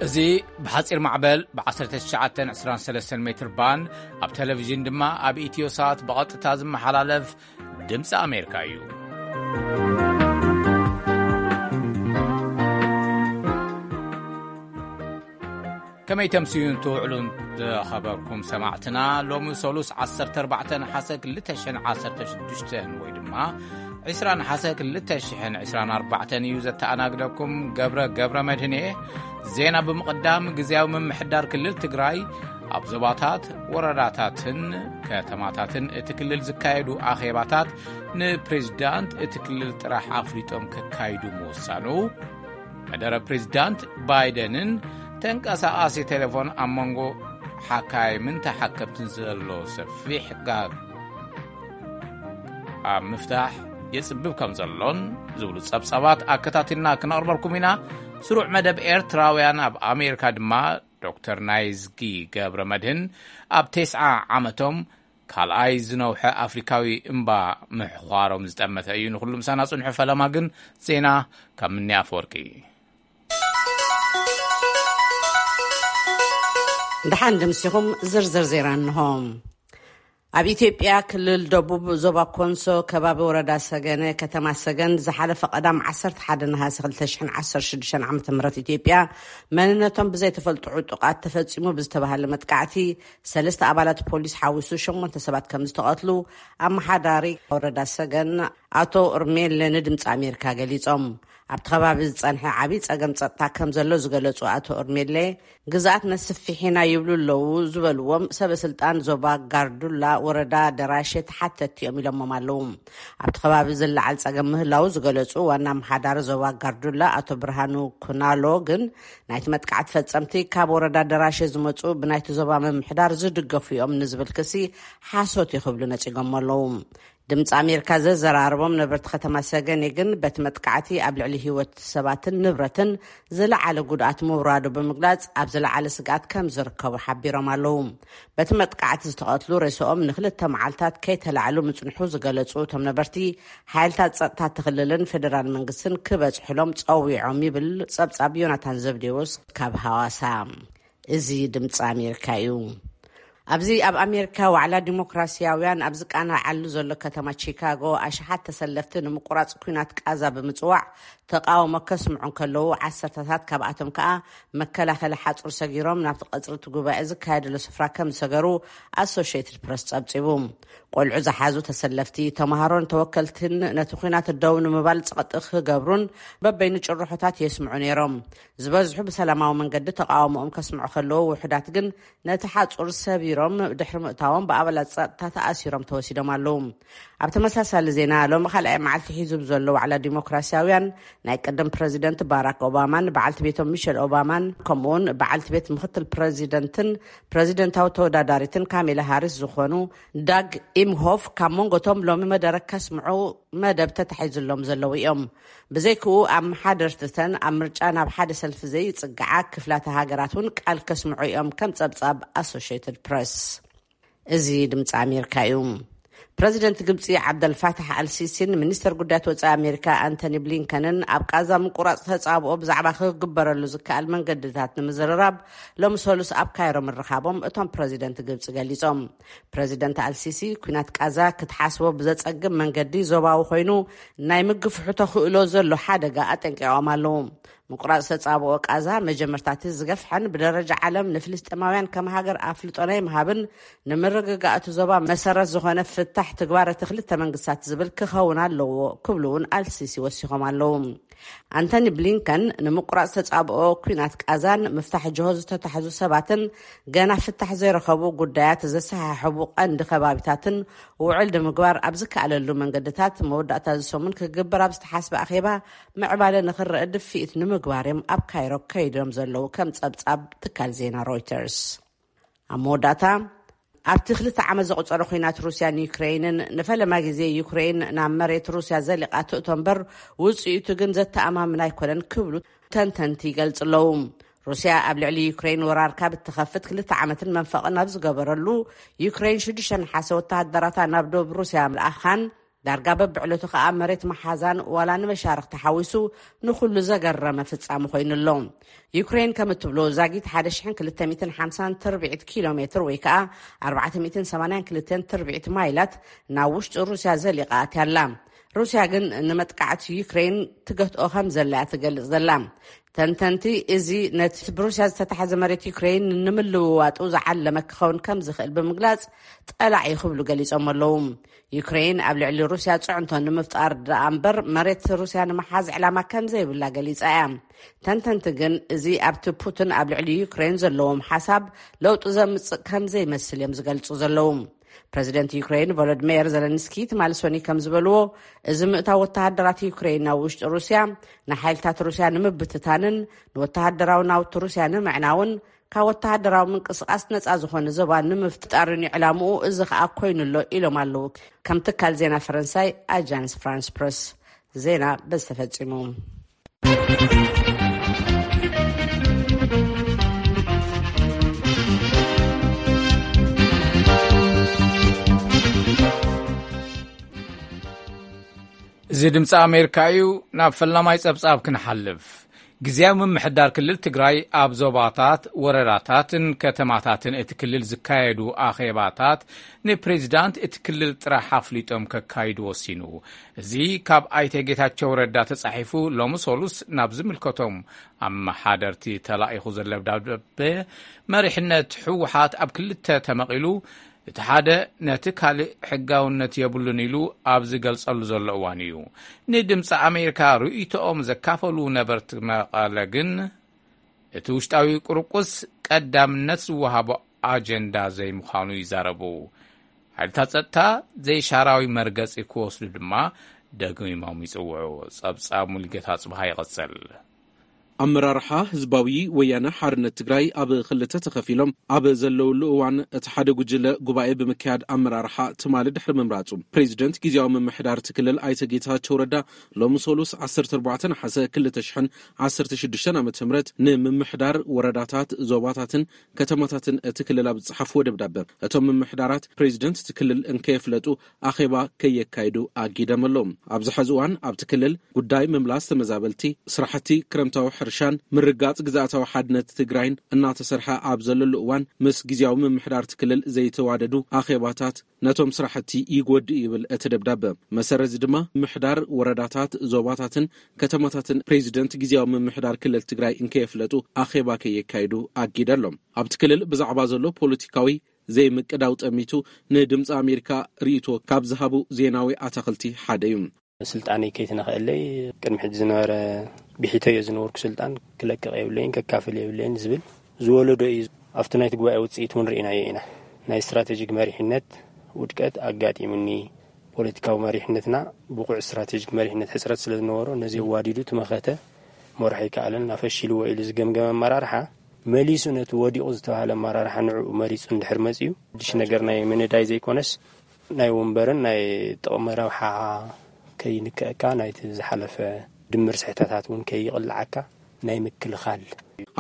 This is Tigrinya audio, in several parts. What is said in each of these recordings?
እዚ ብሓጺር ማዕበል ብ1923 ሜትር ባንድ፣ ኣብ ቴሌቪዥን ድማ ኣብ ኢትዮ ሳት ብቐጥታ ዝመሓላለፍ ድምፂ ኣሜሪካ እዩ። ከመይ ተምስዩን ትውዕሉን ዝኸበርኩም ሰማዕትና፣ ሎሚ ሰሉስ 14 ነሓሰ 2016 ወይ ድማ 20 ነሓሰ 2024 እዩ። ዘተኣናግደኩም ገብረ ገብረ መድህን እየ። ዜና ብምቕዳም፣ ግዝያዊ ምምሕዳር ክልል ትግራይ ኣብ ዞባታት፣ ወረዳታትን ከተማታትን እቲ ክልል ዝካየዱ ኣኼባታት ንፕሬዚዳንት እቲ ክልል ጥራሕ ኣፍሊጦም ከካይዱ ምውሳኑ፣ መደረ ፕሬዚዳንት ባይደንን ተንቀሳቓሲ ቴሌፎን ኣብ መንጎ ሓካይምን ተሓከምትን ዘሎ ሰፊሕ ጋግ ኣብ ምፍታሕ የጽብብ ከም ዘሎን ዝብሉ ጸብጻባት ኣከታቲልና ክነቕርበልኩም ኢና። ስሩዕ መደብ ኤርትራውያን ኣብ ኣሜሪካ ድማ ዶክተር ናይዝጊ ገብረ መድህን ኣብ ተስዓ ዓመቶም ካልኣይ ዝነውሐ ኣፍሪካዊ እምባ ምሕዃሮም ዝጠመተ እዩ። ንኹሉ ምሳና ጽንሑ። ፈለማ ግን ዜና ካብ ምኒ ኣፈወርቂ። ደሓን ድምሲኹም ዝርዝር ዜና እንሆ። ኣብ ኢትዮጵያ ክልል ደቡብ ዞባ ኮንሶ ከባቢ ወረዳ ሰገነ ከተማ ሰገን ዝሓለፈ ቀዳም 11 ነሃሰ 2016 ዓ.ም ኢትዮጵያ መንነቶም ብዘይተፈልጡ ዕጡቓት ተፈጺሙ ብዝተባሃለ መጥቃዕቲ ሰለስተ ኣባላት ፖሊስ ሓዊሱ ሸሞንተ ሰባት ከም ዝተቐትሉ ኣመሓዳሪ ወረዳ ሰገን ኣቶ ኡርሜለ ንድምፂ ኣሜሪካ ገሊጾም። ኣብቲ ከባቢ ዝጸንሐ ዓብዪ ጸገም ጸጥታ ከም ዘሎ ዝገለጹ ኣቶ ኡርሜሌ፣ ግዝኣት ነስፊሕ ኢና ይብሉ ኣለዉ ዝበልዎም ሰበ ስልጣን ዞባ ጋርዱላ ወረዳ ደራሼ ተሓተትቲ እዮም ኢሎሞም ኣለዉ። ኣብቲ ከባቢ ዝለዓል ጸገም ምህላዉ ዝገለጹ ዋና ኣመሓዳሪ ዞባ ጋርዱላ ኣቶ ብርሃኑ ኩናሎ ግን፣ ናይቲ መጥቃዕቲ ፈጸምቲ ካብ ወረዳ ደራሼ ዝመጹ ብናይቲ ዞባ ምምሕዳር ዝድገፉ እዮም ንዝብል ክሲ ሓሶት እዩ ክብሉ ነጺጎም ኣለዉ። ድምፂ ኣሜሪካ ዘዘራረቦም ነበርቲ ከተማ ሰገኔ ግን፣ በቲ መጥቃዕቲ ኣብ ልዕሊ ህይወት ሰባትን ንብረትን ዝለዓለ ጉድኣት ምውራዱ ብምግላጽ፣ ኣብ ዝለዓለ ስግኣት ከም ዝርከቡ ሓቢሮም ኣለዉ። በቲ መጥቃዕቲ ዝተቐትሉ ሬስኦም ንክልተ መዓልታት ከይተላዕሉ ምጽንሑ ዝገለጹ እቶም ነበርቲ፣ ሓይልታት ጸጥታ እቲ ክልልን ፌደራል መንግስትን ክበጽሕሎም ጸዊዖም ይብል ጸብጻብ ዮናታን ዘብዴዎስ ካብ ሃዋሳ። እዚ ድምፂ ኣሜሪካ እዩ። ኣብዚ ኣብ ኣሜሪካ ዋዕላ ዲሞክራሲያውያን ኣብ ዝቃናዓሉ ዘሎ ከተማ ቺካጎ፣ ኣሽሓት ተሰለፍቲ ንምቁራጽ ኲናት ቃዛ ብምጽዋዕ ተቃውሞ ከስምዑ እንከለዉ፣ ዓሰርተታት ካብኣቶም ከኣ መከላኸሊ ሓጹር ሰጊሮም ናብቲ ቀጽሪ እቲ ጉባኤ ዝካየደሉ ስፍራ ከም ዝሰገሩ ኣሶሽየትድ ፕረስ ጸብጺቡ። ቆልዑ ዝሓዙ ተሰለፍቲ፣ ተመሃሮን ተወከልትን ነቲ ኲናት ደው ንምባል ጸቕጢ ክገብሩን በበይኑ ጭርሖታት የስምዑ ነይሮም። ዝበዝሑ ብሰላማዊ መንገዲ ተቃውሞኦም ከስምዑ ከለዉ፣ ውሑዳት ግን ነቲ ሓጹር ሰቢሮም ድሕሪ ምእታዎም ብኣባላት ጸጥታ ተኣሲሮም ተወሲዶም ኣለዉ። ኣብ ተመሳሳሊ ዜና፣ ሎሚ ካልኣይ መዓልቲ ሒዙ ብዘሎ ዋዕላ ዲሞክራሲያውያን፣ ናይ ቀደም ፕረዚደንት ባራክ ኦባማን በዓልቲ ቤቶም ሚሸል ኦባማን፣ ከምኡውን በዓልቲ ቤት ምክትል ፕረዚደንትን ፕረዚደንታዊ ተወዳዳሪትን ካሜላ ሃሪስ ዝኾኑ ዳግ ኢምሆፍ ካብ መንጎቶም ሎሚ መደረ ከስምዑ መደብ ተታሒዙሎም ዘለዉ እዮም። ብዘይክኡ፣ ኣመሓደርትተን ኣብ ምርጫ ናብ ሓደ ሰልፊ ዘይጽግዓ ክፍላተ ሃገራት እውን ቃል ከስምዑ እዮም፣ ከም ጸብጻብ ኣሶሽየትድ ፕረስ። እዚ ድምፂ ኣሜሪካ እዩ። ፕረዚደንት ግብፂ ዓብደልፋታሕ ኣልሲሲን ሚኒስተር ጉዳያት ወፃኢ ኣሜሪካ ኣንቶኒ ብሊንከንን ኣብ ቃዛ ምቁራፅ ተፃብኦ ብዛዕባ ክግበረሉ ዝከኣል መንገድታት ንምዝርራብ ሎሚ ሰሉስ ኣብ ካይሮ ምርኻቦም እቶም ፕረዚደንት ግብፂ ገሊፆም። ፕረዚደንት ኣልሲሲ፣ ኲናት ቃዛ ክትሓስቦ ብዘፀግም መንገዲ ዞባዊ ኮይኑ ናይ ምግፍሑ ተኽእሎ ዘሎ ሓደጋ ኣጠንቂቖም ኣለዉ። ምቁራጽ ተጻብኦ ቃዛ መጀመርታቲ ዝገፍሐን ብደረጃ ዓለም ንፍልስጤማውያን ከም ሃገር ኣፍልጦ ናይ ምሃብን ንምርግጋእ እቲ ዞባ መሰረት ዝኾነ ፍታሕ ትግባር እቲ ክልተ መንግስታት ዝብል ክኸውን ኣለዎ ክብሉ እውን ኣልሲሲ ወሲኾም ኣለዉ። ኣንቶኒ ብሊንከን ንምቁራጽ ተጻብኦ ኲናት ቃዛን ምፍታሕ ጅሆ ዝተታሕዙ ሰባትን ገና ፍታሕ ዘይረኸቡ ጉዳያት ዘሰሓሕቡ ቀንዲ ከባቢታትን ውዕል ንምግባር ኣብ ዝከኣለሉ መንገድታት መወዳእታ እዚ ሰሙን ክግበር ኣብ ዝተሓስበ ኣኼባ ምዕባለ ንኽረአ ድፍኢት ንምግባር እዮም ኣብ ካይሮ ከይዶም ዘለዉ ከም ጸብጻብ ትካል ዜና ሮይተርስ። ኣብ መወዳእታ ኣብቲ ክልተ ዓመት ዘቑጸረ ኲናት ሩስያን ዩክሬይንን ንፈለማ ግዜ ዩክሬይን ናብ መሬት ሩስያ ዘሊቓ ትእቶ እምበር ውጽኢቱ ግን ዘተኣማምን ኣይኮነን ክብሉ ተንተንቲ ይገልጹ ኣለዉ። ሩስያ ኣብ ልዕሊ ዩክሬይን ወራር ካብ እትኸፍት ክልተ ዓመትን መንፈቕን ኣብ ዝገበረሉ ዩክሬይን ሽዱሽተ ነሓሰ ወተሃደራታ ናብ ደቡብ ሩስያ ምልኣኻን ዳርጋ በብዕለቱ ከኣ መሬት መሓዛን ዋላ ንመሻርኽ ተሓዊሱ ንኹሉ ዘገረመ ፍጻመ ኮይኑ ኣሎ። ዩክሬን ከም እትብሎ ዛጊት ሓደ ሽሕን ክልተ ሚእትን ሓምሳን ትርብዒት ኪሎ ሜትር ወይ ከኣ ኣርባዕተ ሚእትን ሰማንያን ክልተን ትርብዒት ማይላት ናብ ውሽጢ ሩስያ ዘሊቓ ኣትያ ኣላ። ሩስያ ግን ንመጥቃዕቲ ዩክሬን ትገትኦ ከም ዘላ እያ ትገልጽ ዘላ። ተንተንቲ እዚ ነቲ ብሩስያ ዝተታሕዘ መሬት ዩክሬን ንምልውዋጡ ዝዓለመ ክኸውን ከም ዝኽእል ብምግላጽ ጸላዒ ክብሉ ገሊጾም ኣለዉ። ዩክሬን ኣብ ልዕሊ ሩስያ ጽዕንቶ ንምፍጣር ደኣ እምበር መሬት ሩስያ ንምሓዝ ዕላማ ከም ዘይብላ ገሊጻ እያ። ተንተንቲ ግን እዚ ኣብቲ ፑቲን ኣብ ልዕሊ ዩክሬን ዘለዎም ሓሳብ ለውጢ ዘምጽእ ከም ዘይመስል እዮም ዝገልጹ ዘለዉ። ፕረዚደንት ዩክሬን ቮሎዲሚር ዘለንስኪ ትማሊ ሶኒ ከም ዝበልዎ፣ እዚ ምእታው ወተሃደራት ዩክሬን ናብ ውሽጢ ሩስያ ንሓይልታት ሩስያ ንምብትታንን ንወተሃደራዊ ናውቲ ሩስያ ንምዕናውን ካብ ወተሃደራዊ ምንቅስቓስ ነጻ ዝኾነ ዞባ ንምፍጣርን እዩ ዕላምኡ፣ እዚ ኸኣ ኮይኑ ኣሎ ኢሎም ኣለዉ። ከም ትካል ዜና ፈረንሳይ ኣጃንስ ፍራንስ ፕረስ። ዜና በዚ ተፈጺሙ። እዚ ድምፂ ኣሜሪካ እዩ። ናብ ፈላማይ ጸብጻብ ክንሓልፍ። ግዝያዊ ምምሕዳር ክልል ትግራይ ኣብ ዞባታት፣ ወረዳታትን ከተማታትን እቲ ክልል ዝካየዱ ኣኼባታት ንፕሬዚዳንት እቲ ክልል ጥራሕ ኣፍሊጦም ከካይዱ ወሲኑ። እዚ ካብ ኣይተ ጌታቸው ረዳ ተጻሒፉ ሎሚ ሰሉስ ናብ ዝምልከቶም ኣመሓደርቲ ተላኢኹ ዘሎ ደብዳቤ፣ መሪሕነት ህወሓት ኣብ ክልተ ተመቒሉ፣ እቲ ሓደ ነቲ ካልእ ሕጋውነት የብሉን ኢሉ ኣብ ዝገልጸሉ ዘሎ እዋን እዩ። ንድምፂ ኣሜሪካ ርእይቶኦም ዘካፈሉ ነበርቲ መቐለ ግን፣ እቲ ውሽጣዊ ቁርቁስ ቀዳምነት ዝወሃቦ ኣጀንዳ ዘይምዃኑ ይዛረቡ። ሓይልታት ጸጥታ ዘይሻራዊ መርገጺ ክወስዱ ድማ ደጊሞም ይጽውዑ። ጸብጻብ ሙሉጌታ ጽብሃ ይቕጽል። ኣመራርሓ ህዝባዊ ወያነ ሓርነት ትግራይ ኣብ ክልተ ተኸፊሎም ኣብ ዘለውሉ እዋን፣ እቲ ሓደ ጉጅለ ጉባኤ ብምክያድ ኣመራርሓ ትማሊ ድሕሪ ምምራጹ፣ ፕሬዚደንት ግዝያዊ ምምሕዳር እቲ ክልል ኣይተ ጌታቸው ረዳ ሎሚ ሰሉስ ዓሰርተ ኣርባዕተ ነሓሰ ክልተ ሽሕን ዓሰርተ ሽዱሽተን ዓመተ ምህረት ንምምሕዳር ወረዳታት፣ ዞባታትን ከተማታትን እቲ ክልል ኣብ ዝጸሓፍዎ ደብዳበ፣ እቶም ምምሕዳራት ፕሬዚደንት እቲ ክልል እንከየፍለጡ ኣኼባ ከየካይዱ ኣጊደም ኣሎ። ኣብዚ ሕዚ እዋን ኣብቲ ክልል ጉዳይ ምምላስ ተመዛበልቲ፣ ስራሕቲ ክረምታዊ ሕርሻን ምርጋጽ ግዝኣታዊ ሓድነት ትግራይን እናተሰርሐ ኣብ ዘለሉ እዋን፣ ምስ ግዝያዊ ምምሕዳር እቲ ክልል ዘይተዋደዱ ኣኼባታት ነቶም ስራሕቲ ይጎድእ ይብል እቲ ደብዳበ። መሰረት እዚ ድማ ምምሕዳር ወረዳታት፣ ዞባታትን ከተማታትን ፕሬዚደንት ግዝያዊ ምምሕዳር ክልል ትግራይ እንከየፍለጡ ኣኼባ ከየካይዱ ኣጊደ ኣሎ። ኣብቲ ክልል ብዛዕባ ዘሎ ፖለቲካዊ ዘይምቅዳው ጠሚቱ ንድምፂ ኣሜሪካ ርእይቶ ካብ ዝሃቡ ዜናዊ ኣታኽልቲ ሓደ እዩ። ስልጣነይ ከይትነኽአለይ ቅድሚ ሕጂ ዝነበረ ብሒተዮ ዝነበርኩ ስልጣን ክለቅቕ የብለይን፣ ከካፍል የብለይን ዝብል ዝወለዶ እዩ። ኣብቲ ናይቲ ጉባኤ ውፅኢት እውን ርኢናዮ ኢና። ናይ ስትራቴጂክ መሪሕነት ውድቀት ኣጋጢሙኒ። ፖለቲካዊ መሪሕነትና ብቑዕ ስትራቴጂክ መሪሕነት ሕፅረት ስለ ዝነበሮ፣ ነዚ ኣዋዲዱ ትመኸተ መርሖ ኣይከኣለን፣ ኣፈሺልዎ ኢሉ ዝገምገመ ኣመራርሓ፣ መሊሱ ነቲ ወዲቑ ዝተባህለ ኣመራርሓ ንዕኡ መሪፁ እንድሕር መፅዩ፣ ሓድሽ ነገር ናይ ምንዳይ ዘይኮነስ፣ ናይ ወንበርን ናይ ጥቕሚ ረብሓ ከይንከአካ፣ ናይቲ ዝሓለፈ ድምር ስሕተታት እውን ከይቕልዓካ ናይ ምክልኻል።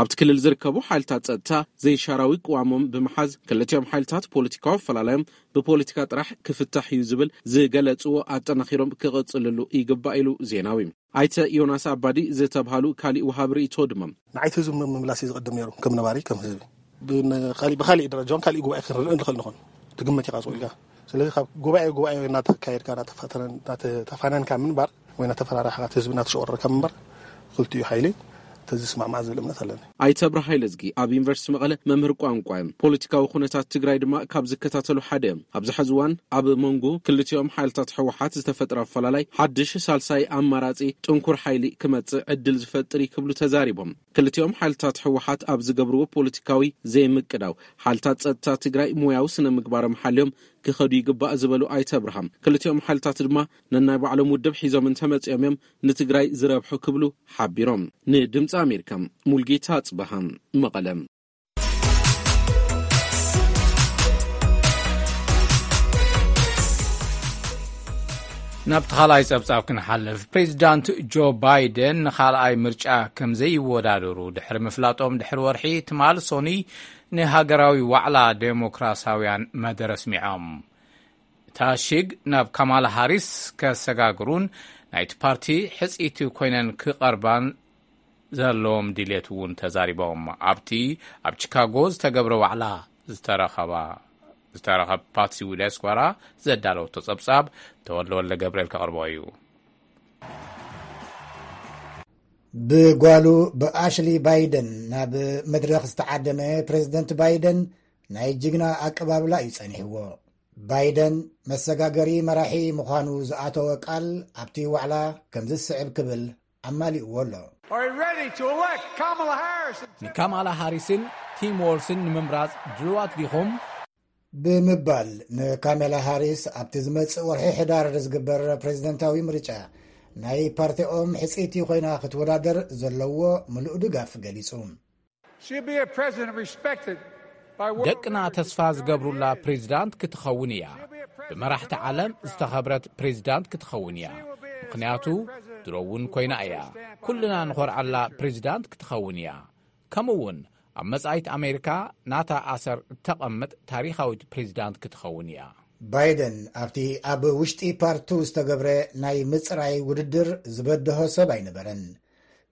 ኣብቲ ክልል ዝርከቡ ሓይልታት ጸጥታ ዘይሻራዊ ቅዋሞም ብምሓዝ፣ ክልቲኦም ሓይልታት ፖለቲካዊ ኣፈላላዮም ብፖለቲካ ጥራሕ ክፍታሕ እዩ ዝብል ዝገለጽዎ ኣጠናኺሮም ክቕጽልሉ ይግባእ ኢሉ ዜናዊ። ኣይተ ዮናስ ኣባዲ ዝተብሃሉ ካሊእ ወሃቢ ርእይቶ ድማ፣ ንዓይቲ ህዝቢ ምምላስ እዩ ዝቕድም ነይሩ፣ ከም ነባሪ፣ ከም ህዝቢ። ብን-፣ ካሊእ፣ ብካሊእ ደረጃ እውን ካሊእ ጉባኤ ክንርኢ ንኽእል ንኾን። ትግመት ኢኻ፣ ኣጽዊልካ። ስለዚ ካብ ጉባኤ ጉባኤ እናተካየድካ፣ እናተፋተነ-፣ እናተፋነንካ ምንባር ወይ እናተፈራራሕካ፣ እቲ ህዝቢ እናተሸወረካ ምንባር፣ ክልቲኡ ሓይሊ ተዝስማዕማዕ ዝብል እምነት ኣለኒ። ኣይተ ኣብርሃ ሃይለዝጊ ኣብ ዩኒቨርሲቲ መቐለ መምህር ቋንቋ እዮም። ፖለቲካዊ ኩነታት ትግራይ ድማ ካብ ዝከታተሉ ሓደ እዮም። ኣብዚ ሕዚ እዋን ኣብ መንጎ ክልቲኦም ሓይልታት ህወሓት ዝተፈጥረ ኣፈላላይ ሓድሽ ሳልሳይ ኣማራጺ ጥንኩር ሓይሊ ክመጽእ ዕድል ዝፈጥር እዩ ክብሉ ተዛሪቦም። ክልቲኦም ሓይልታት ህወሓት ኣብ ዝገብርዎ ፖለቲካዊ ዘይምቅዳው፣ ሓይልታት ጸጥታ ትግራይ ሞያዊ ስነ ምግባሮም ሓልዮም ክኸዱ ይግባእ ዝበሉ ኣይተ ኣብርሃም፣ ክልቲኦም ሓይልታት ድማ ነናይ ባዕሎም ውድብ ሒዞም እንተመጺኦም እዮም ንትግራይ ዝረብሑ ክብሉ ሓቢሮም። ንድምፂ ኣሜሪካ፣ ሙልጌታ ኣጽበሃ፣ መቐለ። ናብቲ ካልኣይ ጸብጻብ ክንሓልፍ፣ ፕሬዚዳንት ጆ ባይደን ንኻልኣይ ምርጫ ከም ዘይወዳደሩ ድሕሪ ምፍላጦም፣ ድሕሪ ወርሒ ትማል ሶኒ ንሃገራዊ ዋዕላ ዴሞክራሲያውያን መደረ ኣስሚዖም። ታሺግ ናብ ካማላ ሃሪስ ከሰጋግሩን ናይቲ ፓርቲ ሕጽይቲ ኮይነን ክቐርባን ዘለዎም ድሌት እውን ተዛሪቦም። ኣብቲ ኣብ ቺካጎ ዝተገብረ ዋዕላ ዝተረኸባ ዝተረኸብ ፓትሲ ዊዳስኳራ ዘዳለወቶ ጸብጻብ ተወልደ ወልደ ገብርኤል ከቕርቦ እዩ። ብጓሉ ብኣሽሊ ባይደን ናብ መድረኽ ዝተዓደመ ፕሬዝደንት ባይደን ናይ ጅግና ኣቀባብላ እዩ ጸኒሕዎ። ባይደን መሰጋገሪ መራሒ ምዃኑ ዝኣተወ ቃል ኣብቲ ዋዕላ ከምዚ ዝስዕብ ክብል ኣማሊእዎ ኣሎ። Are you ready to elect Kamala Harris? ንካማላ ሃሪስን ቲም ዎልስን ንምምራጽ ድልዋት ዲኹም? ብምባል ንካሜላ ሃሪስ ኣብቲ ዝመጽእ ወርሒ ሕዳር ዝግበር ፕሬዝደንታዊ ምርጫ ናይ ፓርቲኦም ሕጽይቲ ኮይና ክትወዳደር ዘለዎ ምሉእ ድጋፍ ገሊጹ። She'll be a president respected by world ደቅና ተስፋ ዝገብሩላ ፕሬዚዳንት ክትኸውን እያ። ብመራሕቲ ዓለም ዝተኸብረት ፕሬዚዳንት ክትኸውን እያ። ምኽንያቱ ድሮ እውን ኮይና እያ። ኩልና ንኾርዓላ ፕሬዚዳንት ክትኸውን እያ። ከምኡ እውን ኣብ መጻኢት ኣሜሪካ ናታ ኣሰር እተቐምጥ ታሪኻዊት ፕሬዚዳንት ክትኸውን እያ። ባይደን ኣብቲ ኣብ ውሽጢ ፓርቱ ዝተገብረ ናይ ምጽራይ ውድድር ዝበድሆ ሰብ ኣይነበረን።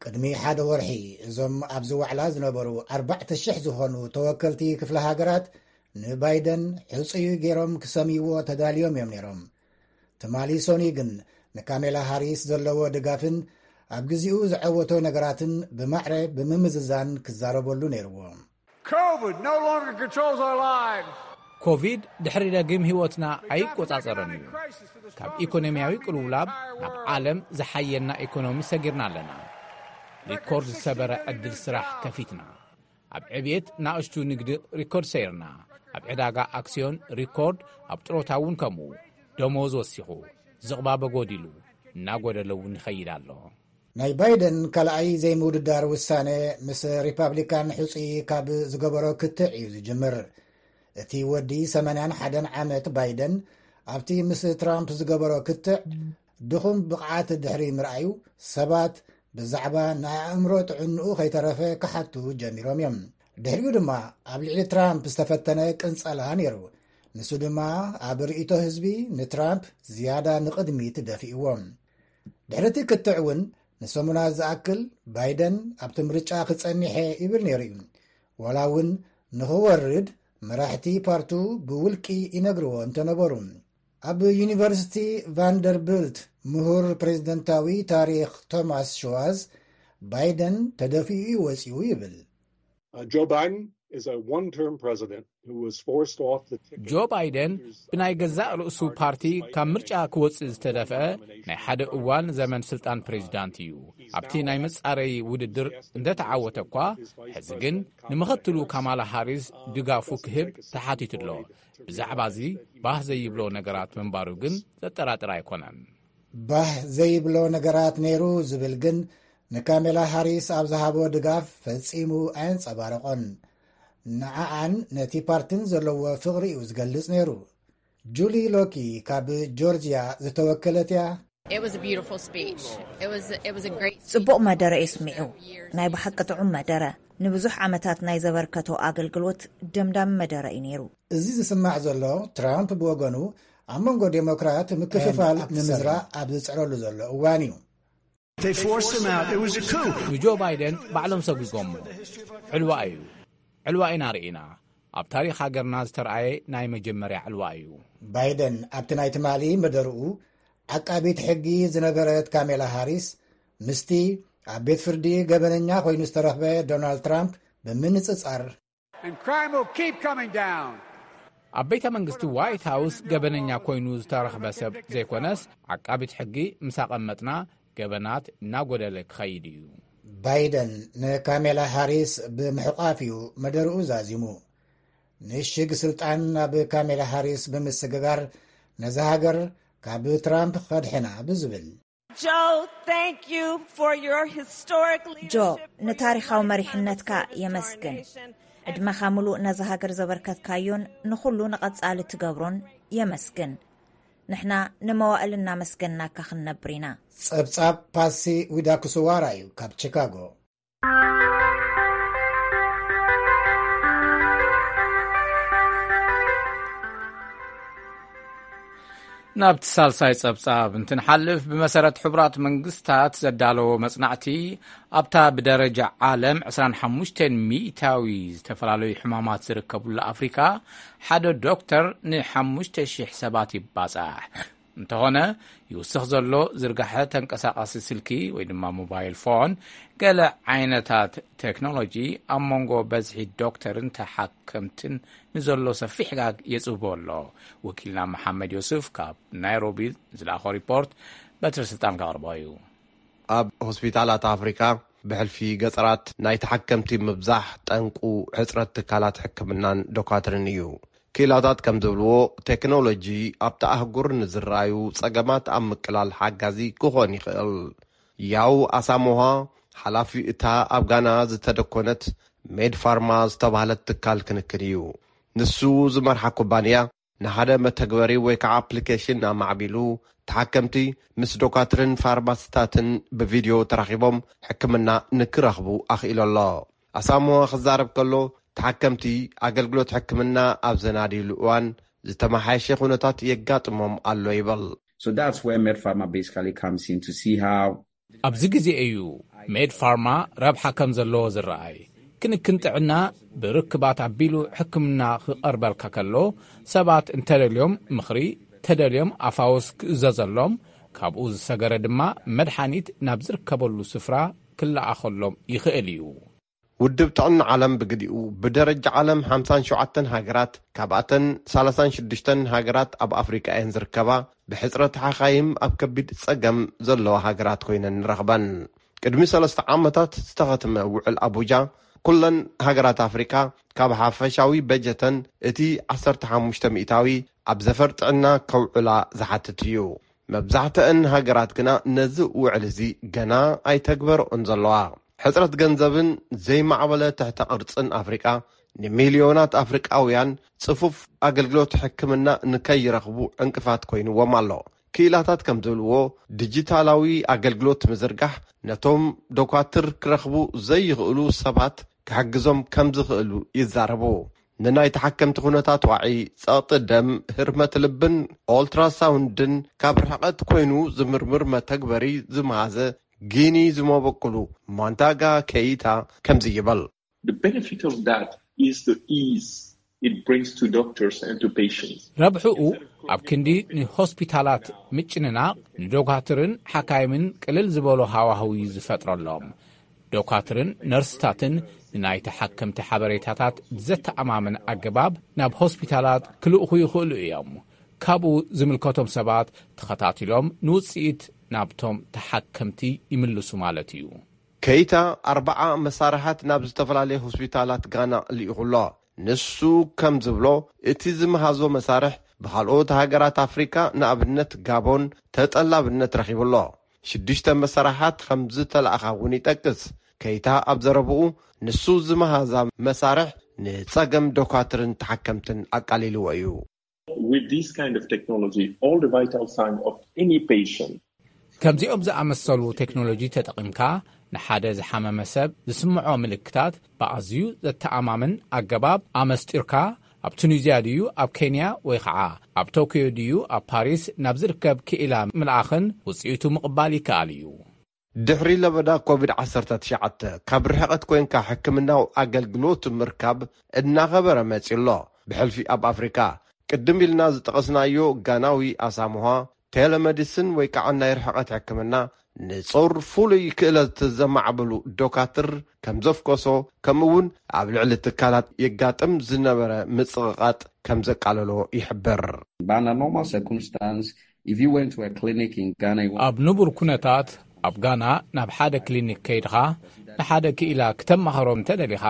ቅድሚ ሓደ ወርሒ እዞም ኣብዚ ዋዕላ ዝነበሩ ኣርባዕተ ሽሕ ዝኾኑ ተወከልቲ ክፍለ ሃገራት ንባይደን ሕጹይ ገይሮም ክሰምይዎ ተዳልዮም እዮም ነይሮም። ትማሊ ሶኒ ግን ንካሜላ ሃሪስ ዘለዎ ድጋፍን ኣብ ግዚኡ ዝዓወቶ ነገራትን ብማዕረ ብምምዝዛን ክዛረበሉ ነይርዎ። COVID no longer controls our lives. ኮቪድ ድሕሪ ደጊም ህይወትና ኣይቆጻጸርን እዩ። ካብ ኢኮኖሚያዊ ቅልውላብ ናብ ዓለም ዝሓየልና ኢኮኖሚ ሰጊርና ኣለና። ሪኮርድ ዝሰበረ ዕድል ስራሕ ከፊትና። ኣብ ዕብየት ናእሽቱ ንግዲ ሪኮርድ ሰይርና። ኣብ ዕዳጋ ኣክሲዮን ሪኮርድ፣ ኣብ ጥሮታ እውን ከምኡ። ደሞዝ ወሲኹ፣ ዝቕባበ ጎዲሉ፣ እናጎደለ እውን ይኸይድ ኣሎ። ናይ ባይደን ካልኣይ ዘይምውድዳር ውሳነ ምስ ሪፓብሊካን ሕጹይ ካብ ዝገበሮ ክትዕ እዩ ዝጅምር። እቲ ወዲ ሰማንያን ሓደን ዓመት ባይደን ኣብቲ ምስ ትራምፕ ዝገበሮ ክትዕ ድኹም ብቕዓት ድሕሪ ምርኣዩ ሰባት ብዛዕባ ንኣእምሮ ጥዕንኡ ከይተረፈ ክሓቱ ጀሚሮም እዮም። ድሕሪኡ ድማ ኣብ ልዕሊ ትራምፕ ዝተፈተነ ቅንጸላ ነይሩ። ንሱ ድማ ኣብ ርእይቶ ህዝቢ ንትራምፕ ዝያዳ ንቕድሚት ደፊእዎ። ድሕሪ እቲ ክትዕ እውን ንሰሙናት ዝኣክል ባይደን ኣብቲ ምርጫ ክጸኒሐ ይብል ነይሩ እዩ። ዋላ እውን ንኽወርድ መራሕቲ ፓርቱ ብውልቂ ይነግርዎ እንተነበሩ። ኣብ ዩኒቨርሲቲ ቫንደርብልት ምሁር ፕሬዝደንታዊ ታሪኽ ቶማስ ሽዋዝ ባይደን ተደፊኡ እዩ ወጺኡ ይብል። Uh, Joe Biden is a one term president who was forced off the ticket. ጆ ባይደን ብናይ ገዛእ ርእሱ ፓርቲ ካብ ምርጫ ክወጽእ ዝተደፍአ ናይ ሓደ እዋን ዘመን ስልጣን ፕሬዚዳንት እዩ። ኣብቲ ናይ መጻረዪ ውድድር እንደተዓወተ እኳ፣ ሕዚ ግን ንምኽትሉ ካማላ ሃሪስ ድጋፉ ክህብ ተሓቲቱ ኣሎ። ብዛዕባ እዚ ባህ ዘይብሎ ነገራት ምንባሩ ግን ዘጠራጥር ኣይኮነን። ባህ ዘይብሎ ነገራት ነይሩ ዝብል ግን ንካሜላ ሃሪስ ኣብ ዝሃቦ ድጋፍ ፈጺሙ ኣየንጸባረቖን። ንዓኣን ነቲ ፓርትን ዘለዎ ፍቕሪ እዩ ዝገልጽ ነይሩ። ጁሊ ሎኪ ካብ ጆርጅያ ዝተወከለት እያ። It was a beautiful speech. It was it was a great ጽቡቕ መደረ እዩ ስሚዑ። ናይ ብሓቂ ጥዑም መደረ። ንብዙሕ ዓመታት ናይ ዘበርከቶ ኣገልግሎት ደምዳሚ መደረ እዩ ነይሩ። እዚ ዝስማዕ ዘሎ ትራምፕ ብወገኑ ኣብ መንጎ ዴሞክራት ምክፍፋል ንምዝራእ ኣብ ዝጽዕረሉ ዘሎ እዋን እዩ። They forced him out. It was a coup. ንጆ ባይደን ባዕሎም ሰጒጎሞ። ዕልዋ እዩ። ዕልዋ ኢና ርኢና። ኣብ ታሪኽ ሃገርና ዝተረኣየ ናይ መጀመርያ ዕልዋ እዩ። ባይደን ኣብቲ ናይ ትማሊ መደርኡ ዓቃቢት ሕጊ ዝነበረት ካሜላ ሃሪስ ምስቲ ኣብ ቤት ፍርዲ ገበነኛ ኮይኑ ዝተረኽበ ዶናልድ ትራምፕ ብምንጽጻር And crime will keep coming down. ኣብ ቤተ መንግስቲ ዋይት ሃውስ ገበነኛ ኮይኑ ዝተረኽበ ሰብ ዘይኮነስ፣ ዓቃቢት ሕጊ ምስ ኣቐመጥና ገበናት እናጎደለ ክኸይድ እዩ። ባይደን ንካሜላ ሃሪስ ብምሕቋፍ እዩ መደርኡ ዛዚሙ። ንሽግ ስልጣን ናብ ካሜላ ሃሪስ ብምስግጋር ነዛ ሃገር ካብ ትራምፕ ከድሕና ብዝብል Joe, thank you for your historic ጆ leadership. ንታሪኻዊ መሪሕነትካ የመስግን። ዕድመኻ ምሉእ ነዛ ሃገር ዘበርከትካዮን ንኹሉ ንቐጻሊ ትገብሮን የመስግን። ንሕና ንመዋእል እናመስገንናካ ክንነብር ኢና። ጸብጻብ ፓሲ ዊዳኩስዋራ እዩ ካብ ቺካጎ። ናብቲ ሳልሳይ ጸብጻብ እንትንሓልፍ፣ ብመሰረት ሕቡራት መንግስታት ዘዳለዎ መጽናዕቲ፣ ኣብታ ብደረጃ ዓለም ዕስራን ሓሙሽተን ሚእታዊ ዝተፈላለዩ ሕማማት ዝርከቡላ ኣፍሪካ፣ ሓደ ዶክተር ንሓሙሽተ ሽሕ ሰባት ይባጻሕ። እንተኾነ፣ ይውስኽ ዘሎ ዝርጋሐ ተንቀሳቓሲ ስልኪ ወይ ድማ ሞባይል ፎን፣ ገለ ዓይነታት ቴክኖሎጂ ኣብ መንጎ በዝሒ ዶክተርን ተሓከምትን ንዘሎ ሰፊሕ ጋግ የጽብቦ ኣሎ። ወኪልና መሓመድ ዮሱፍ ካብ ናይሮቢ ዝለኣኾ ሪፖርት በትሪ ስልጣን ከቕርቦ እዩ። ኣብ ሆስፒታላት ኣፍሪካ ብሕልፊ ገጠራት ናይ ተሓከምቲ ምብዛሕ ጠንቁ ሕፅረት ትካላት ሕክምናን ዶካትርን እዩ። ክኢላታት ከም ዝብልዎ፣ ቴክኖሎጂ ኣብቲ ኣህጉር ንዝረኣዩ ጸገማት ኣብ ምቅላል ሓጋዚ ክኾን ይኽእል። ያው ኣሳሞሃ፣ ሓላፊ እታ ኣብ ጋና ዝተደኮነት ሜድ ፋርማ ዝተባህለት ትካል ክንክን እዩ። ንሱ ዝመርሓ ኩባንያ ንሓደ መተግበሪ ወይ ከዓ ኣፕሊኬሽን ኣማዕቢሉ፣ ተሓከምቲ ምስ ዶካትርን ፋርማሲስታትን ብቪድዮ ተራኺቦም ሕክምና ንክረኽቡ ኣኽኢሉ ኣሎ። ኣሳሞሃ ክዛረብ ከሎ፣ ተሓከምቲ ኣገልግሎት ሕክምና ኣብ ዘናድይሉ እዋን ዝተመሓየሸ ኩነታት የጋጥሞም ኣሎ ይብል። So that's where MedPharma basically comes in to see how ኣብዚ ግዜ እዩ ሜድ ፋርማ ረብሓ ከም ዘለዎ ዝረኣይ። ክንክን ጥዕና ብርክባት ኣቢሉ ሕክምና ክቐርበልካ ከሎ፣ ሰባት እንተደልዮም ምኽሪ፣ ተደልዮም ኣፋውስ ክእዘዘሎም፣ ካብኡ ዝሰገረ ድማ መድሓኒት ናብ ዝርከበሉ ስፍራ ክለኣኸሎም ይኽእል እዩ። ውድብ ጥዕና ዓለም ብግዲኡ፣ ብደረጃ ዓለም ሓምሳን ሸውዓተን ሃገራት፣ ካብኣተን ሰላሳን ሽዱሽተን ሃገራት ኣብ ኣፍሪቃ እየን ዝርከባ፣ ብሕጽረት ሓኻይም ኣብ ከቢድ ጸገም ዘለዋ ሃገራት ኮይነን ንረኽበን። ቅድሚ ሰለስተ ዓመታት ዝተኸትመ ውዕል ኣቡጃ፣ ኩለን ሃገራት ኣፍሪቃ ካብ ሓፈሻዊ በጀተን እቲ ዓሰርተ ሓሙሽተ ሚእታዊ ኣብ ዘፈር ጥዕና ከውዕላ ዝሓትት እዩ። መብዛሕትአን ሃገራት ግና ነዚ ውዕል እዚ ገና ኣይተግበርኦን ዘለዋ። ሕጽረት ገንዘብን ዘይማዕበለ ትሕተ ቅርጽን ኣፍሪቃ ንሚልዮናት ኣፍሪቃውያን ጽፉፍ ኣገልግሎት ሕክምና ንከይረኽቡ ዕንቅፋት ኮይንዎም ኣሎ። ክኢላታት ከም ዝብልዎ፣ ዲጂታላዊ ኣገልግሎት ምዝርጋሕ ነቶም ዶኳትር ክረኽቡ ዘይኽእሉ ሰባት ክሕግዞም ከም ዝኽእሉ ይዛረቡ። ንናይ ተሓከምቲ ኩነታት ዋዒ፣ ጸቕጢ ደም፣ ህርመት ልብን ኦልትራሳውንድን ካብ ርሕቐት ኮይኑ ዝምርምር መተግበሪ ዝመሃዘ ጊኒ ዝመበቁሉ ማንታጋ ከይታ ከምዚ ይብል። The benefit of that is the ease it brings to doctors and to patients. ረብሕኡ ኣብ ክንዲ ንሆስፒታላት ምጭንናቕ፣ ንዶካትርን ሓካይምን ቅልል ዝበሎ ሃዋህው እዩ ዝፈጥረሎም። ዶካትርን ነርስታትን ንናይ ተሓከምቲ ሓበሬታታት ብዘተኣማምን ኣገባብ ናብ ሆስፒታላት ክልእኹ ይኽእሉ እዮም። ካብኡ ዝምልከቶም ሰባት ተኸታቲሎም ንውጽኢት ናብቶም ተሓከምቲ ይምልሱ ማለት እዩ። ከይታ ኣርባዓ መሳርሓት ናብ ዝተፈላለየ ሆስፒታላት ጋና ልኢኹ ኣሎ። ንሱ ከም ዝብሎ፣ እቲ ዝመሃዞ መሳርሕ ብኻልኦት ሃገራት ኣፍሪካ፣ ንኣብነት ጋቦን፣ ተጠላብነት ረኺቡ ኣሎ። ሽዱሽተ መሳርሓት ከም ዝተላእኻ እውን ይጠቅስ። ከይታ ኣብ ዘረብኡ፣ ንሱ ዝመሃዛ መሳርሕ ንጸገም ዶካትርን ተሓከምትን ኣቃሊልዎ እዩ። With this kind of technology, all the vital sign of any patient ከምዚኦም ዝኣመሰሉ ቴክኖሎጂ ተጠቒምካ፣ ንሓደ ዝሓመመ ሰብ ዝስምዖ ምልክታት ብኣዝዩ ዘተኣማምን ኣገባብ ኣመስጢርካ፣ ኣብ ቱኒዝያ ድዩ ኣብ ኬንያ ወይ ኸዓ ኣብ ቶክዮ ድዩ ኣብ ፓሪስ ናብ ዝርከብ ክኢላ ምልኣኽን ውጽኢቱ ምቕባል ይከኣል እዩ። ድሕሪ ለበዳ ኮቪድ ዓሰርተ ትሽዓተ፣ ካብ ርሕቐት ኮይንካ ሕክምናዊ ኣገልግሎት ምርካብ እናኸበረ መጺኡ ኣሎ። ብሕልፊ ኣብ ኣፍሪካ፣ ቅድም ኢልና ዝጠቐስናዮ ጋናዊ ኣሳምሃ፣ ቴሌሜዲስን ወይ ከዓ ናይ ርሕቐት ሕክምና ንጹር ፍሉይ ክእለት ዘማዕበሉ ዶካትር ከም ዘፍኮሶ፣ ከምኡ እውን ኣብ ልዕሊ ትካላት የጋጥም ዝነበረ ምጽቕቓጥ ከም ዘቃለሎ ይሕብር። But under normal circumstance, if you went to a clinic in Ghana, you want ኣብ ንቡር ኩነታት፣ ኣብ ጋና ናብ ሓደ ክሊኒክ ከይድኻ ንሓደ ክኢላ ክተማኸሮም እንተደሊኻ፣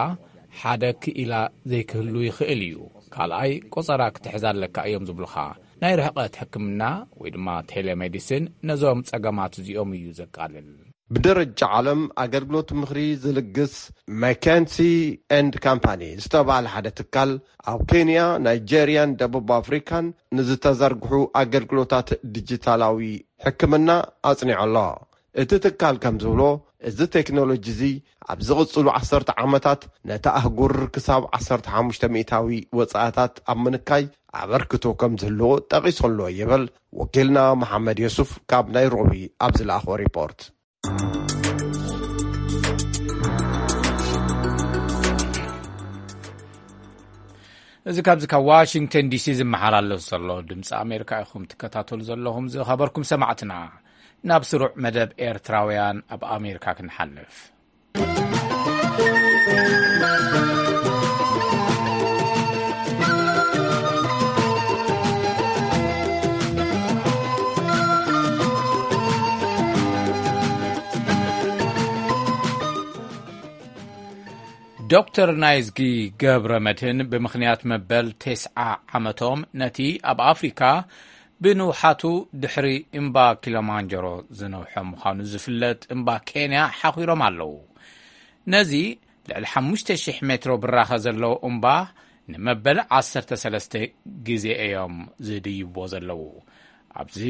ሓደ ክኢላ ዘይክህሉ ይኽእል እዩ። ካልኣይ፣ ቆጸራ ክትሕዝ ኣለካ እዮም ዝብሉኻ። ናይ ርሕቐት ሕክምና ወይ ድማ ቴሌሜዲሲን ነዞም ጸገማት እዚኦም እዩ ዘቃልል። ብደረጃ ዓለም ኣገልግሎት ምኽሪ ዝልግስ ማካንሲ ኤንድ ካምፓኒ ዝተባህለ ሓደ ትካል፣ ኣብ ኬንያ፣ ናይጄርያን ደቡብ ኣፍሪካን ንዝተዘርግሑ ኣገልግሎታት ዲጂታላዊ ሕክምና ኣጽኒዑ ኣሎ። እቲ ትካል ከም ዝብሎ፣ እዚ ቴክኖሎጂ እዚ ኣብ ዝቕጽሉ ዓሰርተ ዓመታት ነቲ ኣህጉር ክሳብ ዓሰርተ ሓሙሽተ ሚእታዊ ወጻእታት ኣብ ምንካይ ኣበርክቶ ከም ዝህልዎ ጠቒሱ ኣሎ ይብል ወኪልና መሓመድ የሱፍ ካብ ናይሮቢ ኣብ ዝለኣኾ ሪፖርት። እዚ ካብዚ ካብ ዋሽንግተን ዲሲ ዝመሓላለፍ ዘሎ ድምፂ ኣሜሪካ ኢኹም ትከታተሉ ዘለኹም። ዝኸበርኩም ሰማዕትና፣ ናብ ስሩዕ መደብ ኤርትራውያን ኣብ ኣሜሪካ ክንሓልፍ። ዶክተር ናይዝጊ ገብረ መድህን ብምኽንያት መበል ተስዓ ዓመቶም ነቲ ኣብ ኣፍሪካ ብንውሓቱ ድሕሪ እምባ ኪሎማንጀሮ ዝነውሐ ምዃኑ ዝፍለጥ እምባ ኬንያ ሓኺሮም ኣለዉ። ነዚ ልዕሊ ሓሙሽተ ሽሕ ሜትሮ ብራኸ ዘለዎ እምባ ንመበል ዓሰርተ ሰለስተ ግዜ እዮም ዝድይብዎ ዘለዉ። ኣብዚ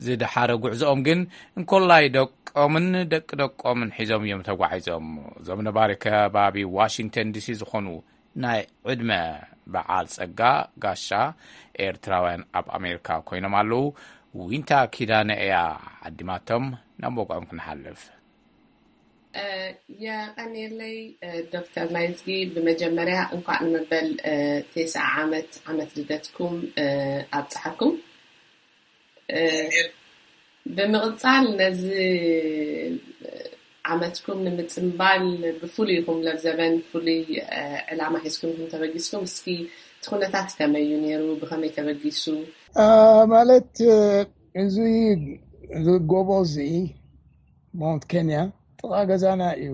ዝደሓረ ጉዕዞኦም ግን እንኮላይ ደቆምን ደቂ ደቆምን ሒዞም እዮም ተጓዒዞም። እዞም ነባሪ ከባቢ ዋሽንግተን ዲሲ ዝኾኑ ናይ ዕድመ በዓል ጸጋ ጋሻ ኤርትራውያን ኣብ ኣሜሪካ ኮይኖም ኣለዉ። ዊንታ ኪዳነ እያ ዓዲማቶም። ናብ መውቅዖም ክንሓልፍ። የቐኔለይ ዶክተር ናይዝጊ፣ ብመጀመርያ እንኳዕ ንመበል ተስዓ ዓመት ዓመት ልደትኩም ኣብፅሓኩም። ብምቕፃል ነዚ ዓመትኩም ንምፅምባል ብፍሉይ ይኹም ለብዘበን ፍሉይ ዕላማ ሒዝኩም ይኹም ተበጊስኩም። እስኪ እቲ ኩነታት ከመይ እዩ ነይሩ? ብኸመይ ተበጊሱ? ማለት እዚ ጎቦ እዚ ማውንት ኬንያ ጥቓ ገዛና እዩ።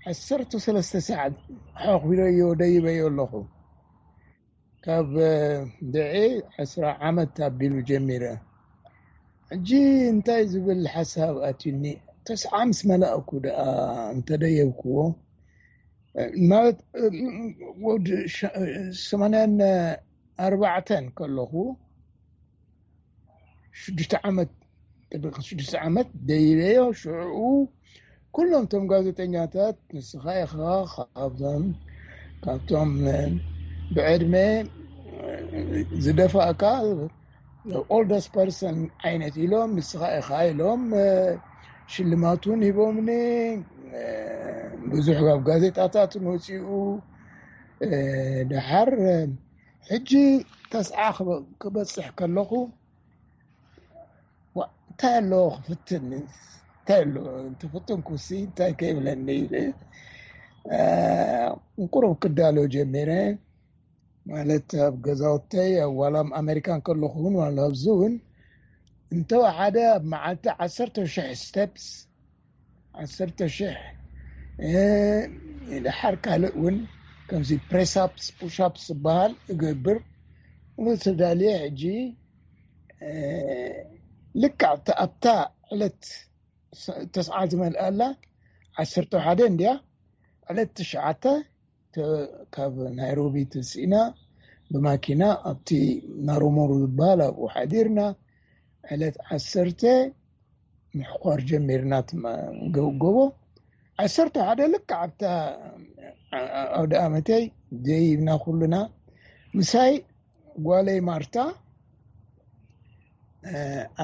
ዓሰርተ ሰለስተ ሰዓት ሓኺረዮ ደይበዮ ኣለኹ። ካብ ድዒ ዕስራ ዓመት ኣቢሉ ጀሚረ። ሕጂ እንታይ ዝብል ሓሳብ ኣትዩኒ፣ ተስዓ ምስ መላእኩ ደኣ እንተደየብክዎ፣ ማለት ወዲ ሸ- ሰማንያን ኣርባዕተን ከለኹ ሽዱሽተ ዓመት ጥብቅ ሽዱሽተ ዓመት ደይበዮ። ሽዑ ኩሎም እቶም ጋዜጠኛታት ንስኻ ኢኻ ካብቶም ካብቶም ብዕድመ ዝደፋእካ ኦልደስት ፐርሰን ዓይነት ኢሎም፣ ንስኻ ኢኻ ኢሎም ሽልማት እውን ሂቦምኒ። ብዙሕ ኣብ ጋዜጣታት እውን ወፂኡ። ደሓር ሕጂ ተስዓ ክበ- ክበፅሕ ከለኹ እንታይ ኣለዎ ክፍትን? እንታይ ኣለዎ እንተፈተንኩሲ እንታይ ከይብለኒ ኢለ ቁሩብ ክዳሎ ጀሚረ። ማለት ኣብ ገዛውተይ ኣብ ዋላ ኣብ ኣሜሪካን ከለኹ እውን ዋላ ኣብዚ እውን እንተወሓደ ኣብ መዓልቲ ዓሰርተ ሽሕ ስቴፕስ ዓሰርተ ሽሕ ድሓር ካልእ እውን ከምዚ ፕሬሳፕስ ፑሻፕስ ዝበሃል እገብር። ተዳልየ ሕጂ ልክዕ ኣብታ ዕለት ተስዓ ዝመልኣላ ዓሰርተ ሓደ እንድያ ዕለት ትሽዓተ ካብ ናይሮቢ ተሲእና ብማኪና ኣብቲ ናሮሞሩ ዝበሃል ኣብኡ ሓዲርና ዕለት ዓሰርተ ምሕኳር ጀሚርና ትማ- ገ- ጎቦ ዓሰርተ ሓደ ልክዕ ኣብታ ኣውደ ኣመተይ ደይብና ኩሉና ምሳይ ጓለይ ማርታ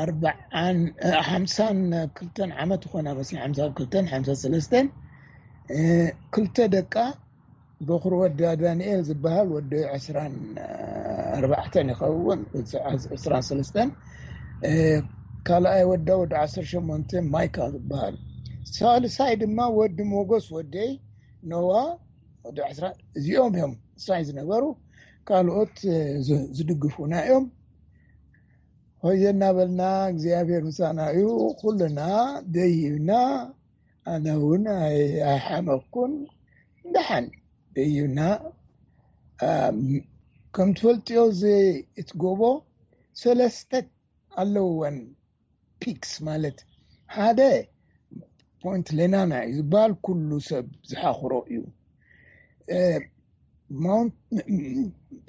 ኣርባዓን ሓምሳን ክልተን ዓመት ይኾና መስ ሓምሳ ክልተን ሓምሳ ሰለስተን ክልተ ደቃ በኹሪ ወዳ ዳንኤል ዝበሃል ወዲ ዕስራን ኣርባዕተን ይኸውን ዕስራን ሰለስተን ካልኣይ ወዳ ወዲ ዓሰርተ ሸሞንተ ማይካ ዝበሃል ሳልሳይ ድማ ወዲ ሞጎስ ወደይ ኖዋ ወዲ ዕስራ እዚኦም እዮም ሳይ ዝነበሩ ካልኦት ዝድግፉና እዮም ሆየ እናበልና እግዚኣብሔር ምሳና እዩ ኩልና ደይብና ኣነ እውን ኣይሓመኩን ደሓን ደይብና ከም ትፈልጥዮ እዚ እቲ ጎቦ ሰለስተ ኣለውወን ፒክስ ማለት ሓደ ፖይንት ሌናና እዩ ዝበሃል ኩሉ ሰብ ዝሓኽሮ እዩ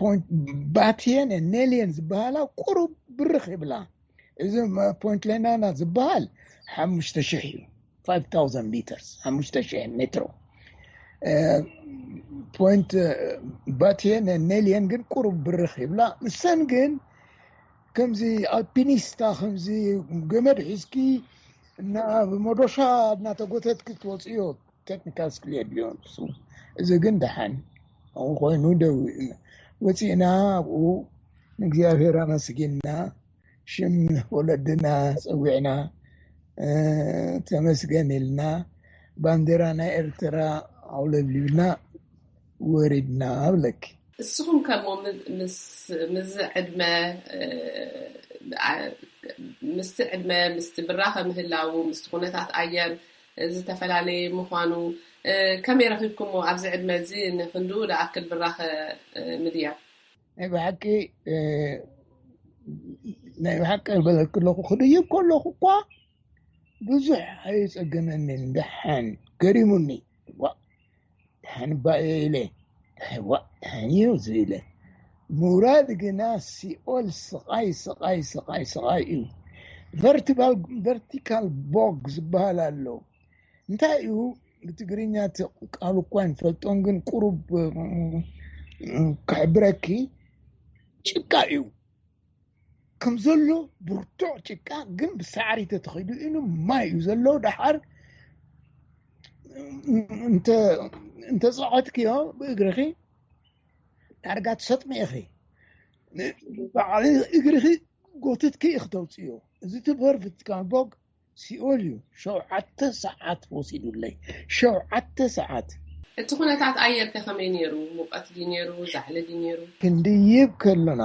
ፖይንት ባትየን ኔልየን ዝበሃላ ቁሩብ ብርኽ ይብላ እዚ ፖይንት ሌናና ዝበሃል ሓሙሽተ ሽሕ እዩ። ፋይቭ ታውዘንድ ሊተርስ፣ ሓሙሽተ ሽሕ ሜትሮ። ፖይንት ባቴን ኔልየን ግን ቁሩብ ብርኽ ይብላ። ንሰን ግን ከምዚ ኣልፒኒስታ፣ ከምዚ ገመድ ሒዝኪ እና ብመዶሻ እናተጎተትኪ ትወፅዮ ቴክኒካል ስኪል የድልዮ ንሱ። እዚ ግን ደሓን ኮይኑ ደው ወፂእና፣ ኣብኡ ንእግዚኣብሔር ኣመስጊንና፣ ሽም ወለድና ፀዊዕና፣ ተመስገን ኢልና፣ ባንዴራ ናይ ኤርትራ ኣውለብሊብና ወሪድና እብለኪ። እስኹም ከሞ ምስ ምስዚ ዕድመ ምስቲ ዕድመ ምስቲ ብራኸ ምህላው ምስቲ ኩነታት ኣየር ዝተፈላለየ ምዃኑ ከመይ ረኺብኩሞ? ኣብዚ ዕድመ እዚ ንክንድኡ ዝኣክል ብራኸ ምድያብ? ናይ ብሓቂ ናይ ብሓቂ ዝበለክ ኣለኹ፣ ክድይብ ከለኹ እኳ ብዙሕ ኣይጸገመንን። ደሓን ገሪሙኒ። ዋ፣ ደሓን እባ እየ ኢለ። ዋ፣ ደሓን እዩ ዝኢለ። ምውራድ ግና ሲኦል ስቓይ፣ ስቓይ፣ ስቓይ፣ ስቓይ እዩ። ቨርቲካል፣ ቨርቲካል ቦግ ዝበሃል ኣሎ። እንታይ እዩ? ብትግርኛ እቲ ቃል እኳ ንፈልጦን፣ ግን ቁሩብ ክሕብረኪ፣ ጭቃ እዩ። ከም ዘሎ ብርቱዕ ጭቃ፣ ግን ብሳዕሪ ተተኺዱ ኢሉ ማይ እዩ ዘሎ። ደሓር እንተ እንተጸቐጥክዮ ብእግርኺ ዳርጋ ትሰጥሚ ኢኺ። ባዕሊ እግርኺ ጎትትኪ ኢኺ ተውፅዮ። እዚ ትብህር ቨርቲካል ቦግ ሲኦል እዩ። ሸውዓተ ሰዓት ወሲዱለይ። ሸውዓተ ሰዓት። እቲ ኩነታት ኣየር ከ ከመይ ነይሩ? ሙቐት ድዩ ነይሩ? ዛሕሊ ድዩ ነይሩ? ክንድይብ ከለና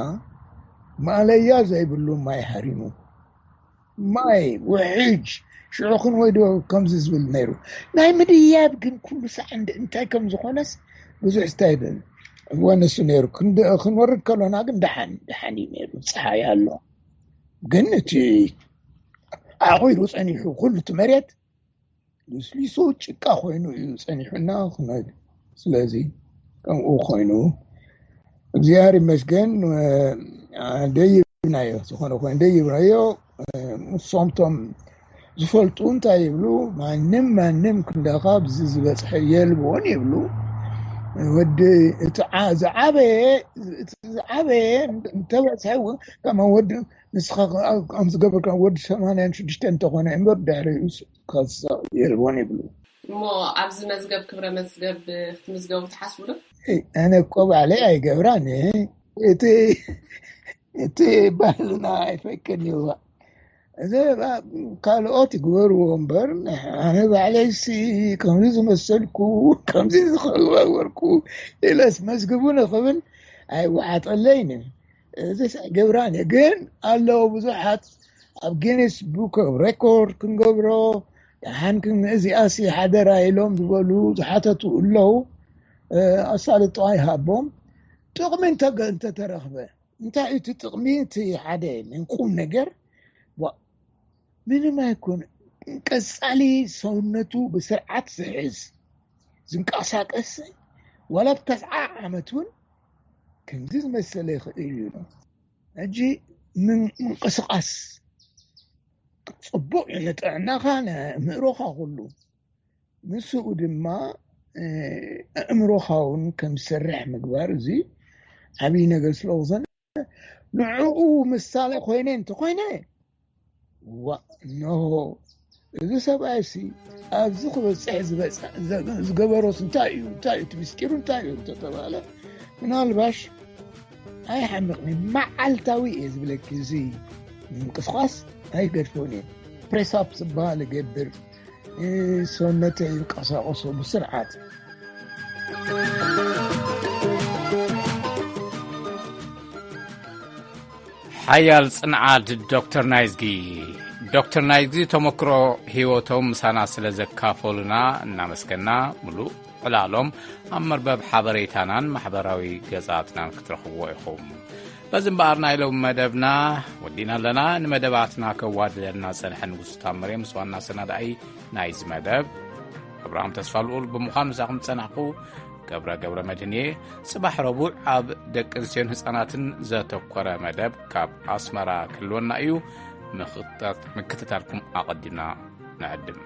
ማእለያ ዘይብሉ ማይ ሃሪሙ። ማይ ውሕጅ ሽዑ ክንወይዶ ከምዚ ዝብል ነይሩ። ናይ ምድያብ ግን ኩሉ ሳዕ እንደ እንታይ ከም ዝኾነስ ብዙሕ ስታይል ወነሱ ነይሩ። ክንድ-፣ ክንወርድ ከሎና ግን ደሓን፣ ደሓን እዩ ነይሩ። ፀሓይ ኣሎ። ግን እቲ ኣቑሩ ጸኒሑ ኩሉ እቲ መሬት ልስሊሱ ጭቃ ኮይኑ እዩ ጸኒሑና። ክነ-፣ ስለዚ ከምኡ ኮይኑ እግዚኣብሔር ይመስገን፣ እ፣ ደይብናዮ። ዝኾነ ኮይኑ ደይብናዮ። እ፣ ንሶም ቶም ዝፈልጡ እንታይ ይብሉ? ማንም፣ ማንም ክንዳኻ ብዚ ዝበጽሐ የልቦን ይብሉ። ወዲ እቲ ዓ-፣ ዝዓበየ፣ እቲ ዝዓበየ እንተበጽሐ እውን፣ ከመ ወዲ ንስኻ ከም ዝገበርካ ወዲ ሰማንያን ሽዱሽተን እንተኾነ እምበር ድሕሪኡ ከሳቕ የልቦን ይብሉ። እሞ ኣብዚ መዝገብ፣ ክብረ መዝገብ ክትምዝገቡ ትሓስቡ ዶ? ኣነ እኮ ባዕለይ ኣይገብራን። እቲ፣ እቲ ባህልና ኣይፈቅድን እዩ። እዚ ካልኦት ይግበርዎ እምበር፣ ኣነ ባዕለይሲ ከምዚ ዝመሰልኩ፣ ከምዚ ዝኸበርኩ ኢለስ መዝግቡ ንኽብል ኣይወሓጠለይን። እዚ ኣይገብራን እየ። ግን ኣለዉ ብዙሓት ኣብ ጊኒስ ቡክ ኦፍ ሬኮርድ ክንገብሮ፣ ደሓን ክን-፣ እዚኣሲ ሓደራ ኢሎም ዝበሉ ዝሓተቱ ኣለዉ። እ፣ ኣሳልጦ ኣይሃቦም። ጥቕሚ እንተገ-፣ እንተተረኽበ፣ እንታይ እዩ እቲ ጥቕሚ? እቲ ሓደ ናይ ቁም ነገር፣ ዋ፣ ምንም ኣይኮነ። ቀጻሊ ሰውነቱ ብስርዓት ዝሕዝ፣ ዝንቀሳቀስ፣ ዋላ ብተስዓ ዓመት እውን ከምዚ ዝመሰለ ይኽእል እዩ። ሕጂ ምን-፣ ምንቅስቃስ ጽቡቕ እዩ ንጥዕናኻ፣ ንኣእምሮኻ ኩሉ። ምስኡ ድማ፣ እ፣ ኣእምሮኻ እውን ከም ዝሰርሕ ምግባር፣ እዚ ዓብዪ ነገር ስለ ዝኾነ፣ ንዕኡ ምሳሌ ኮይነ እንተኾይነ፣ ዋ፣ እንሆ፣ እዚ ሰብኣይሲ ኣብዚ ክበጽሕ ዝበጽ-፣ ዘ-፣ ዝገበሮስ እንታይ እዩ? እንታይ እዩ? እቲ ምስጢሩ እንታይ እዩ እንተተባለ፣ ምናልባሽ ኣይሓምቕን እዩ። መዓልታዊ እየ ዝብለኪ፣ እዚ ምንቅስቓስ ኣይገድፎን እየ። ፕሬስ ኣፕ ዝበሃል እገብር፣ እ፣ ሰውነተይ ይንቀሳቐሶ ብስርዓት። ሓያል ጽንዓት ዶክተር ናይዝጊ። ዶክተር ናይዝጊ ተመክሮ ህይወቶም ምሳና ስለ ዘካፈሉና እናመስገና፣ ምሉእ ዕላሎም ኣብ መርበብ ሓበሬታናን ማሕበራዊ ገጻትናን ክትረኽብዎ ኢኹም። በዚ እምበኣር ናይ ሎሚ መደብና ወዲና ኣለና። ንመደባትና ከዋድደና ጸንሐ ንጉሱ ታምሬ ምስ ዋና ሰናዳኢ ናይዚ መደብ ኣብርሃም ተስፋ ልኡል ብምዃን ምሳኹም ዝጸናሕኩ ገብረ ገብረ መድህን እየ። ጽባሕ ረቡዕ ኣብ ደቂ ኣንስትዮን ህጻናትን ዘተኮረ መደብ ካብ ኣስመራ ክህልወና እዩ። ምክትታልኩም ኣቐዲምና ንዕድም።